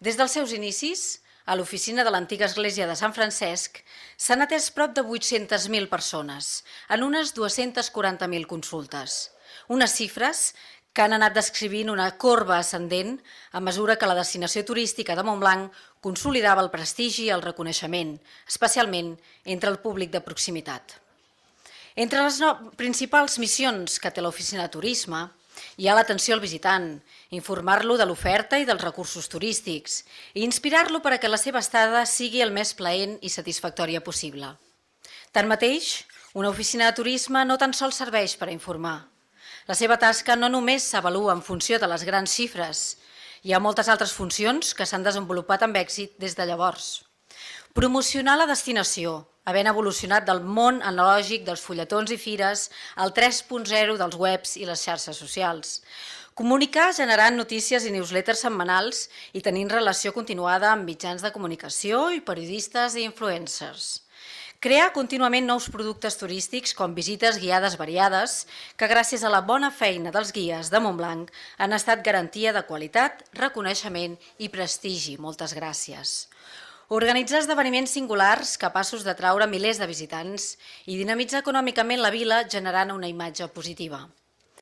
Des dels seus inicis, a l'oficina de l'antiga església de Sant Francesc s'han atès prop de 800.000 persones, en unes 240.000 consultes. Unes xifres que han anat descrivint una corba ascendent a mesura que la destinació turística de Montblanc consolidava el prestigi i el reconeixement, especialment entre el públic de proximitat. Entre les principals missions que té l'oficina de turisme hi ha l'atenció al visitant, informar-lo de l'oferta i dels recursos turístics i inspirar-lo perquè la seva estada sigui el més plaent i satisfactòria possible. Tanmateix, una oficina de turisme no tan sols serveix per a informar. La seva tasca no només s'avalua en funció de les grans xifres, hi ha moltes altres funcions que s'han desenvolupat amb èxit des de llavors. Promocionar la destinació, havent evolucionat del món analògic dels fulletons i fires al 3.0 dels webs i les xarxes socials. Comunicar generant notícies i newsletters setmanals i tenint relació continuada amb mitjans de comunicació i periodistes i influencers. Crear contínuament nous productes turístics com visites guiades variades que gràcies a la bona feina dels guies de Montblanc han estat garantia de qualitat, reconeixement i prestigi. Moltes gràcies. Organitzar esdeveniments singulars capaços d'atraure milers de visitants i dinamitzar econòmicament la vila generant una imatge positiva.